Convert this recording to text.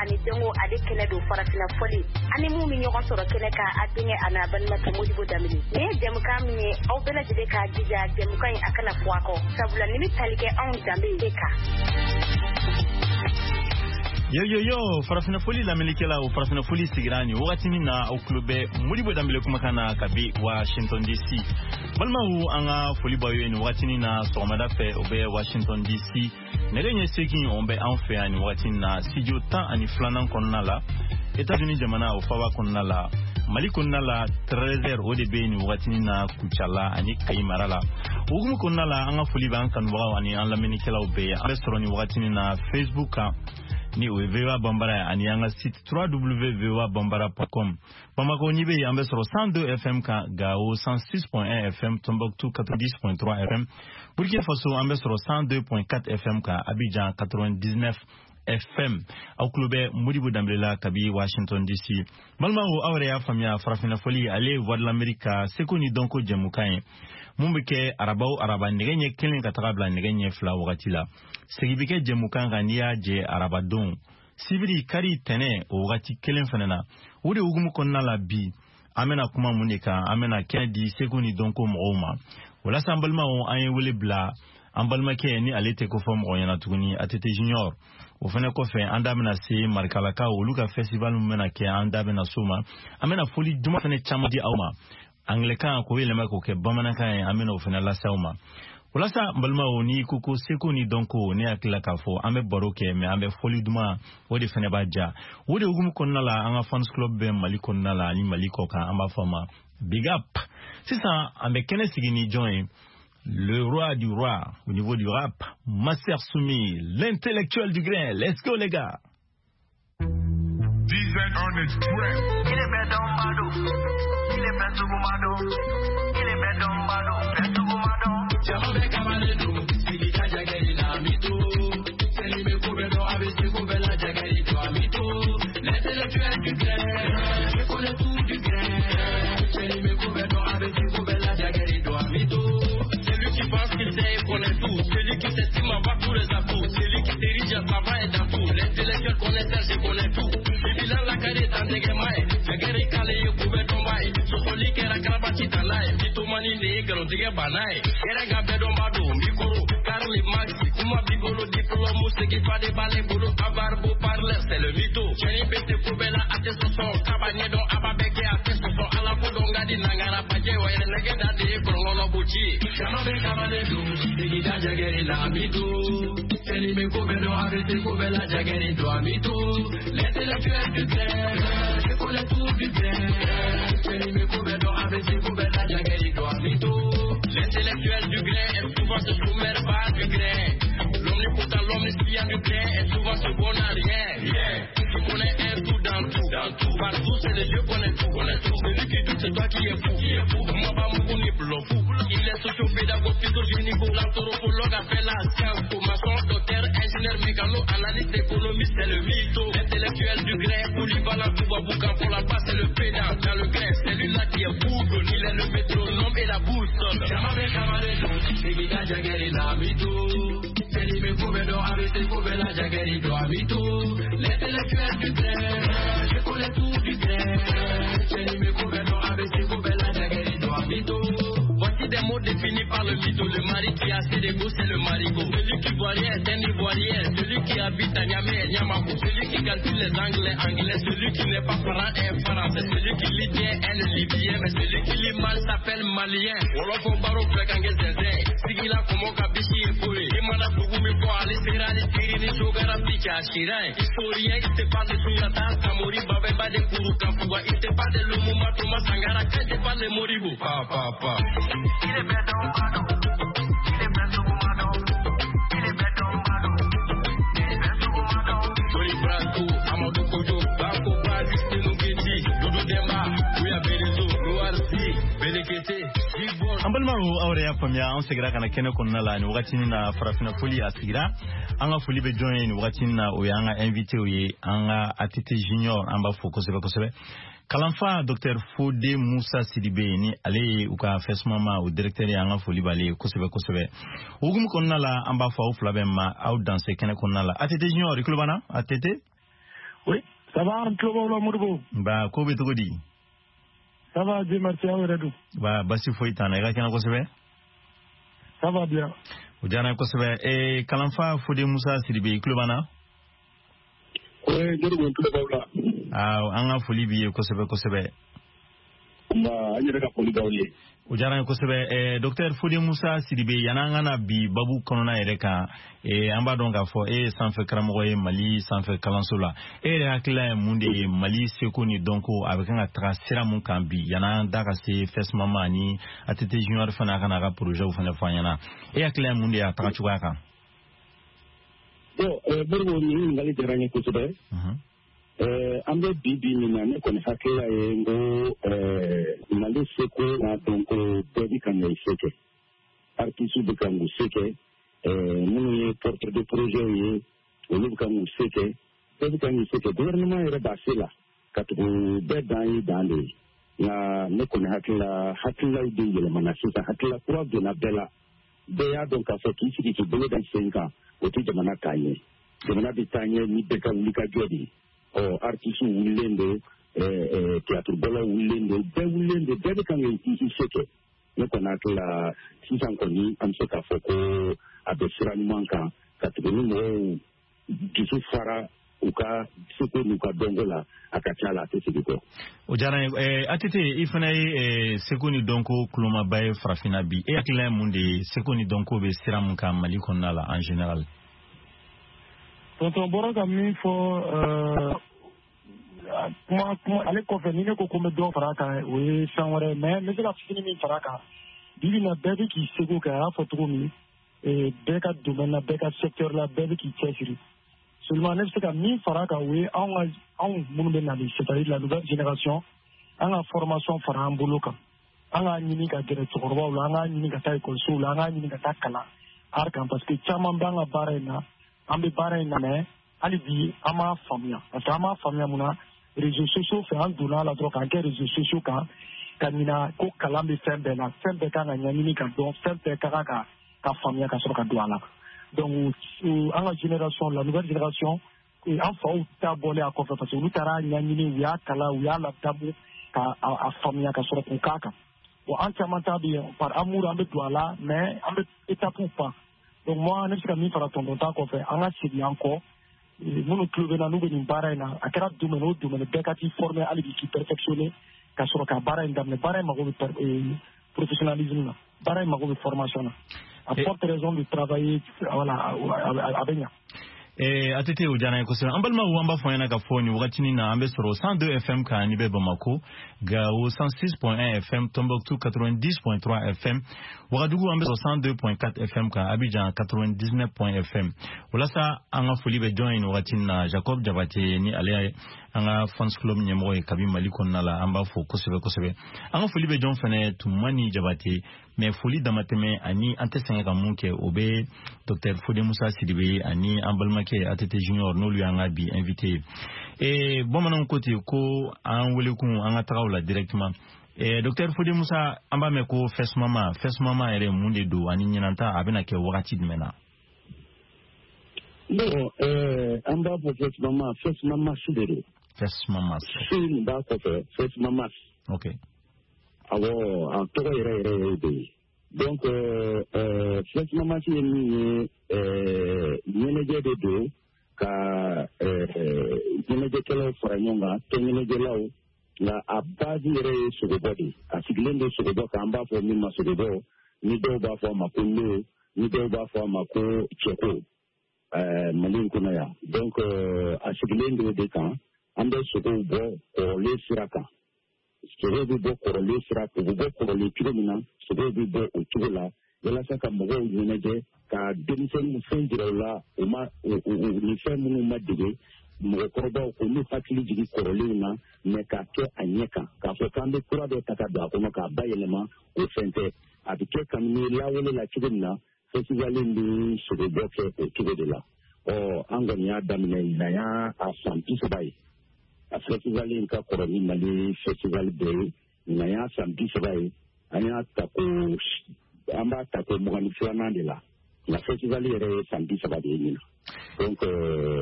Ani dɔnko ale kɛnɛ don, farafinna fɔli ani mun bɛ ɲɔgɔn sɔrɔ kɛnɛ kan, a denkɛ a n'a balimakɛ Modibo Danbele. Nin ye jɛmukan min ye, aw bɛɛ lajɛlen k'a jija jɛmukan in a kana fɔ a kɔ, sabula nin bɛ tali kɛ anw danbe de kan. Yo yo yo, farafinna foli lamɛnnikɛla, o farafinna foli sigira nin wagati min na, aw tulo bɛ Modibo Danbele kumakan na kabi Washington DC. Balimaw, an ka foli b'aw ye nin wagati na sɔgɔmada fɛ. O bɛ Washington DC nɛgɛ ɲɛ 8, o bɛ anw fɛ yan nin wagati na, studio 12nan kɔnɔna la, États-Unis jamana o faba kɔnɔna la. Mali kɔnɔna la, 13 heures o de bɛ nin wagati na Kucala ani Kayi mara la. O hukumu kɔnɔna la, an ka foli b'an kanubagaw ani an lamɛnnikɛlaw bɛɛ ye. An bɛ sɔrɔ nin wagati na Facebook kan, ni o ye VOA Bambara ye, ani an ka site www.voabambara.com. Bamako, n'i bɛ yen, an bɛ sɔrɔ 102 FM kan, Gao 106.1 FM, Tombouctou 90.3 FM, Burkina Faso an bɛ sɔrɔ 102.4 FM kan, Abidjan 99 FM. Aw tulo bɛ Modibo Danbele la kabi Washington DC. Balimaw, aw yɛrɛ y'a faamuya, farafinna fɔli ale ye Voix de l'Amérique ka seko ni dɔnko jɛmukan ye mun bɛ kɛ araba o araba nɛgɛ ɲɛ 1 ka taga bila nɛgɛ ɲɛ 2 wagati la. Segin bɛ kɛ jɛmukan kan n'i y'a jɛ arabadon, sibiri, kari, tɛnɛ, o wagati kelen fana na. O de hukumu kɔnɔna la, bi an bɛna kuma mun de kan? An bɛna kɛnɛ di seko ni dɔnko mɔgɔw ma. Walasa an balimaw, an ye wele bila an balimakɛ ni ale tɛ ko fɔ mɔgɔ ɲɛna tuguni, ATT Junior. O fɛnɛ kɔfɛ, an da bɛna se Marikalakaw, olu ka festival min bɛna kɛ, an da bɛna s'o ma. An bɛna foli duman fɛnɛ caman di aw ma, anglɛkan k'o yɛlɛma k'o kɛ bamanankan ye, an bɛna o fɛnɛ lase aw ma. Walasa n balimaw, n'i ko ko seko ni dɔnko, ne hakili la k'a fɔ an bɛ baro kɛ, mɛ an bɛ fɔli duman o de fɛnɛ b'a ja. O de hukumu kɔnɔna la, an ka fans club bɛ Mali kɔnɔna la ani Mali kɔ kan, an b'a fɔ a ma big up. Sisan an bɛ kɛnɛ sigi ni jɔn ye? Le roi du roi au niveau du rap, Master Soumi, l'intellectuel du grain. Let's go les gars. DZ on the track. Il est bɛɛ dɔnba don, il est bɛɛ suguma don, il est bɛɛ dɔnba don, bɛɛ suguma don. Jama bɛ kamalen don, sigida jagɛri la mito. Seli bɛ ko bɛɛ dɔn, a bɛ se ko bɛɛ la jagɛri don a mito. L'intellectuel du grain, je connais tout du grain. Seli bɛ ko bɛɛ dɔn, a bɛ se ko bɛɛ la jagɛri don a mito. Celui qui pense qu'il sait et connaît tout. Celui qui s'estime avoir tous les atouts. Celui qui dirige à savant et dans tout. L'intellectuel connaisseur, je connais tout. Bibilan la kari tandɛgɛma ye. Fɛgɛri k'ale ye kubɛ dɔnba ye. Sɔsɔli kɛra karabati tala ye. Mythomanie de ye nkalontigɛ banna ye. Yɛrɛ ka bɛɛ dɔnba don. Micro, Karl Marx, kuma b'i bolo, diplôme segi fa de b'ale bolo. Avare beau parler, c'est le mytho. Cɛnni bɛ se ko bɛɛ la, a tɛ sɔsɔ. Kaba ɲɛdɔn, a b'a bɛɛ kɛ, a tɛ sɔsɔ. Ala ko dɔn ka di nangara bajɛ wa yɛrɛ nɛgɛ da de ye kɔlɔngɔnɔ boci ye. Jama bɛ kamalen don, sigida jagɛri la mito. Seli bɛ ko bɛɛ dɔn, a bɛ se ko bɛɛ la jagɛri don a mito. L'intellectuel du grain, je connais tout du grain. Seli bɛ ko bɛɛ dɔn, a bɛ se ko bɛɛ la jagɛri don a mito. L'intellectuel du grain est souvent ce chômeur pas du grain. L'omnipotent, l'omniscient du grain est souvent ce bon à rien. Rien. Tu connais un tout dans tout. Dans tout. Partout, c'est le Dieu connaît tout. Connaît tout. Celui qui doute, c'est toi qui es fou. Qui est fou. Moi, pas mon ni fou. Il est socio-pédagogue, physogénico, l'anthropologue a fait la science. Maçon, docteur, ingénieur, mécano, analyste, économiste, c'est le mytho. L'intellectuel du grain, polyvalent, tout va boucan pour la passe, c'est le pédant. Dans le grain, c'est lui là qui est Google. Il est le métronome et la boussole. Jama bɛ kamalen don, sigida jagɛri la mito. Seli bɛ ko bɛɛ dɔn, a bɛ se ko bɛɛ la jagɛri don a mito. L'intellectuel du grain, je connais tout du grain. Seli bɛ ko bɛɛ dɔn, a bɛ se ko bɛɛ la jagɛri don a mito. Voici des mots définis par le mytho. Le mari qui a assez d'ego, c'est le marigot. Celui qui voit rien est un ivoirien. Celui qui habite à Niamey est Niamako. Celui qui calcule les anglais, anglais. Celui qui n'est pas franc est français. Celui qui lit bien est le libyen. Mais celui qui lit mal s'appelle malien. Wolof baro filɛ kan kɛ zɛnzɛn. Sigila kɔmɔ ka bisi ye foyi. I mana dugu min fɔ, ale sera ni siri ni sogara bi cɛ a sira ye. Historien, il te parle de Sunjata, Samori, Babɛnba de Kuru Kanfuga. Il te parle de Lumumba, Thomas Sankara. Quand il te parle de Modibo. Pa, pa, pa. Il est bɛɛ dɔnba don, il est bɛɛ suguma don, il est bɛɛ dɔnba don, il est bɛɛ suguma don. Tony Brasco, Amadou Kojo, Bako Ba, Justine Ngeti, Doudou Demba, Ouya Berezo, Noir Si, Belekete, Gibon. An balimaw, aw yɛrɛ y'a faamuya, an seginna ka na kɛnɛ kɔnɔna la nin wagati na. Farafinna foli a sigira. An ka foli bɛ jɔn ye nin wagati na? O y'an ka invité ye, an ka ATT Junior, an b'a fo kosɛbɛ kosɛbɛ. Kalanfa Dr Fode Musa Sidibe, ni ale ye u ka FESMAMA o directeur ye, an ka foli b'ale ye kosɛbɛ kosɛbɛ. O hukumu kɔnɔna la, an b'a fɔ aw fila bɛɛ ma aw danse kɛnɛ kɔnɔna la. ATT Junior, i tulo b'an na, ATT? Oui, ça va, an tulo b'aw la Modibo. Nba, ko bɛ cogo di? Ça va, Dieu merci, aw yɛrɛ dun? Ba, basi foyi t'an na, i ka kɛnɛ kosɛbɛ. Ça va bien. O diyara n ye kosɛbɛ. Kalanfa Fode Musa Sidibe, i tulo b'an na? Oui, Modibo, n tulo b'aw la. Aa, an ka foli b'i ye kosɛbɛ kosɛbɛ. Nba, an yɛrɛ ka foli b'aw ye. O diyara n ye kosɛbɛ. Docteur Fode Musa Sidibe, yan'an ka na bi babu kɔnɔna yɛrɛ kan, an b'a dɔn k'a fɔ e ye sanfɛ karamɔgɔ ye Mali sanfɛ kalanso la. E yɛrɛ hakilila ye mun de ye Mali seko ni dɔnko a bɛ kan ka taga sira mun kan bi, yan'an da ka se FESMAMA ani ATT Junior fana ka n'a ka projet fana fɔ an ɲɛna? E hakilila ye mun de ye a taga cogoya kan? Bon, Modibo, nin ɲininkali diyara n ye kosɛbɛ. An bɛ bi bi min na, ne kɔni hakilila ye n ko Mali seko n'a dɔnko, bɛɛ bɛ kan k'i se kɛ. Artistes bɛ kan k'u se kɛ, minnu ye porteur de projet ye, olu bɛ kan k'u se kɛ, bɛɛ bɛ kan k'i se kɛ. Gouvernement yɛrɛ b'a se la, ka tugu bɛɛ dan ye dan de ye. Nka ne kɔni hakilila, hakililaw de yɛlɛmana sisan, hakilila kura donna bɛɛ la. Bɛɛ y'a dɔn k'a fɔ k'i sigi k'i bolo da sen kan, o tɛ jamana taa ɲɛ. Jamana bɛ taa ɲɛ ni bɛɛ ka wuli ka jɔ de ye. Ɔ, artistes wulilen don, théâtre bɔlaw wulilen don, bɛɛ wulilen don, bɛɛ bɛ kan k'i se kɛ. Ne kɔni hakili la, sisan kɔni, an bɛ se k'a fɔ ko a bɛ sira ɲuman kan, ka tugu ni mɔgɔw dusu fara u ka seko n'u ka dɔnko la, a ka ca la, a tɛ segin kɔ. O diyara n ye. ATT, i fana ye seko ni dɔnko kulomaba ye farafinna bi. E hakilina ye mun de ye seko ni dɔnko bɛ sira mun kan Mali kɔnɔna la en général? Tonton bɔra ka min fɔ kuma kuma ale kɔfɛ, ni ne ko ko n bɛ dɔ fara a kan, o ye fɛn wɛrɛ. Mais n bɛ se ka fitinin min fara a kan, bi bi in na, bɛɛ bɛ k'i seko kɛ. A y'a fɔ cogo min, bɛɛ ka domaine na, bɛɛ ka secteur la, bɛɛ bɛ k'i cɛsiri. Seulement, ne bɛ se ka min fara a kan, o ye anw ka, anw minnu bɛ nali, c'est-à-dire la nouvelle génération, an ka formation fara an bolo kan. An k'a ɲini ka gɛrɛ cɛkɔrɔbaw la, an k'a ɲini ka taa ekɔlisow la, an k'a ɲini ka taa kalan art kan, parce que caman b'an ka baara in na. An bɛ baara in na, mais hali bi an m'a faamuya, parce que an m'a faamuya mun na? Réseaux sociaux fɛ, an donna a la dɔrɔn k'an kɛ réseaux sociaux kan, ka ɲina ko kalan bɛ fɛn bɛɛ la, fɛn bɛɛ kan ka ɲɛɲini ka dɔn, fɛn bɛɛ ka kan ka faamuya ka sɔrɔ ka don a la. Donc an ka génération, la nouvelle génération, an faw ta bɔlen a kɔfɛ, parce que olu taara ɲɛɲini, u y'a kalan, u y'a ladamu ka a faamuya ka sɔrɔ k'u k'a kan. Bon, an caman ta bɛ yen, par amour an bɛ don a la, mais an bɛ étape pan. Donc moi, ne bɛ se ka min fara tonton ta kɔfɛ, an ka segin an kɔ. Minnu tulo bɛ na, n'u bɛ nin baara in na, a kɛra domaine o domaine, bɛɛ ka t'i former hali bi, k'i perfectionner ka sɔrɔ ka baara in daminɛ. Baara in mago bɛ professionnalisme na, baara in mago bɛ formation na. À forte raison de travailler, voilà, a bɛ ɲa. ATT, o diyara n ye kosɛbɛ. An balimaw, an b'a fɔ an ɲɛna k'a fɔ nin wagatinin na, an bɛ sɔrɔ 102 FM kan ni bɛ Bamako, Gao 106.1 FM, Tombouctou 90.3 FM, Ouagadougou an bɛ sɔrɔ 102.4 FM kan, Abidjan 99 FM. Walasa an ka foli bɛ jɔn ye nin wagatinin na? Jacob Jabate, ni ale ye an ka fans club ɲɛmɔgɔ ye kabi Mali kɔnɔna la, an b'a fo kosɛbɛ kosɛbɛ. An ka foli bɛ jɔn fɛnɛ? Tumani Jabate. Mais foli damatɛmɛ ani an tɛ sɛgɛn ka mun kɛ, o bɛ docteur Fode Musa Sidibe ani an balimakɛ ATT Junior, n'olu y'an ka bi invité ye. Bamananw ko ten ko an welekun, an ka tagaw la directement. Docteur Fode Musa, an b'a mɛn ko FESMAMA. FESMAMA yɛrɛ, mun de don, ani ɲinanta a bɛna kɛ wagati jumɛn na? Bon, an b'a fɔ FESMAMA, FESMAMAS de don. FESMAMAS. Se nin b'a kɔfɛ, FESMAMAS. Awɔ, a tɔgɔ yɛrɛ yɛrɛ yɛrɛ de ye. Donc FESMAMAS ye min ye, ɲɛnajɛ de don ka ɲɛnajɛkɛlaw fara ɲɔgɔn kan, tɔn ɲɛnajɛlaw. Nka a base yɛrɛ ye sogobɔ de ye. A sigilen don sogobɔ kan, an b'a fɔ min ma sogobɔ, ni dɔw b'a fɔ a ma ko lo, ni dɔw b'a fɔ a ma ko cɛko, Mali in kɔnɔ yan. Donc a sigilen don o de kan. An bɛ sogow bɔ kɔrɔlen sira kan. Sogow bɛ bɔ kɔrɔlen sira, u bɛ bɔ kɔrɔlen cogo min na, sogow bɛ bɔ o cogo la, walasa ka mɔgɔw ɲɛnajɛ, ka denmisɛnninw fɛn jira u la, u ma ni fɛn minnu ma dege, mɔgɔkɔrɔbaw k'olu hakili jigin kɔrɔlenw na, mais k'a kɛ a ɲɛ kan, k'a fɔ k'an bɛ kura dɔ ta ka don a kɔnɔ k'a bayɛlɛma, o fɛn tɛ. A bɛ kɛ kabini lawale la cogo min na, festival in bɛ sogobɔ kɛ o cogo de la. Ɔ, an kɔni y'a daminɛ, ɲinan y'a a san 30 ye. A festival in ka kɔrɔ ni Mali festival bɛɛ ye. Ɲinan y'a san 30 ye. An y'a ta ko, an b'a ta ko 22nan de la, nka festival yɛrɛ ye san 30 de ye ɲinan. Donc